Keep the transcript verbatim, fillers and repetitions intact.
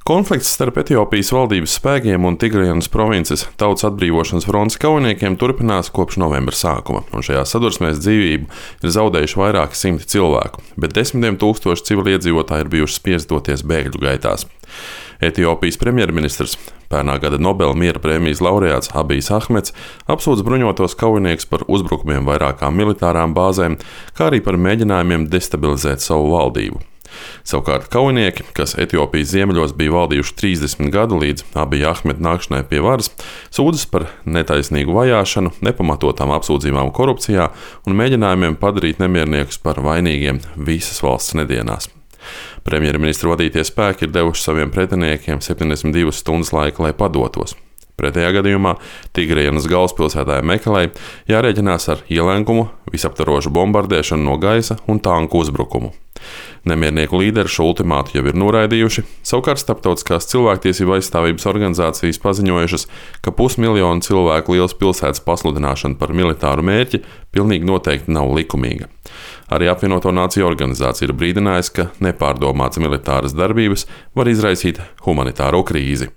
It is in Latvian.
Konflikts starp Etiopijas valdības spēkiem un Tigrajanas provinces Tautas atbrīvošanas frontes kaujiniekiem turpinās kopš novembra sākuma, un šajā sadursmēs dzīvību ir zaudējuši vairāki simti cilvēku, bet desmitiem tūkstoši civiliedzīvotāji ir bijuši spiesti doties bēgļu gaitās. Etiopijas premjerministrs, pērnā gada Nobela miera prēmijas laureāts Abijs Ahmeds, apsūdz bruņotos kaujiniekus par uzbrukumiem vairākām militārām bāzēm, kā arī par mēģinājumiem destabilizēt savu valdību. Savukārt kaujinieki, kas Etiopijas ziemeļos bija valdījuši trīsdesmit gadu līdz Abija Ahmeda nākšanai pie varas, sūdzas par netaisnīgu vajāšanu, nepamatotām apsūdzībām korupcijā un mēģinājumiem padarīt nemierniekus par vainīgiem visas valsts nedienās. Premjerministra vadītie spēki ir devuši saviem pretiniekiem septiņdesmit divas stundas laika, lai padotos. Pretējā gadījumā Tigrajanas galvaspilsētā Mekelei jārēķinās ar ielenkumu, visaptvarošu bombardēšanu no gaisa un tanku uzbrukumu. Nemiernieku līderi šo ultimātu jau ir noraidījuši, savukārt starptautiskās cilvēktiesību aizstāvības organizācijas paziņojušas, ka pusmiljonu cilvēku liels pilsētas pasludināšana par militāru mērķi pilnīgi noteikti nav likumīga. Arī apvienoto nāciju organizācija ir brīdinājusi, ka nepārdomātas militāras darbības var izraisīt humanitāro krīzi.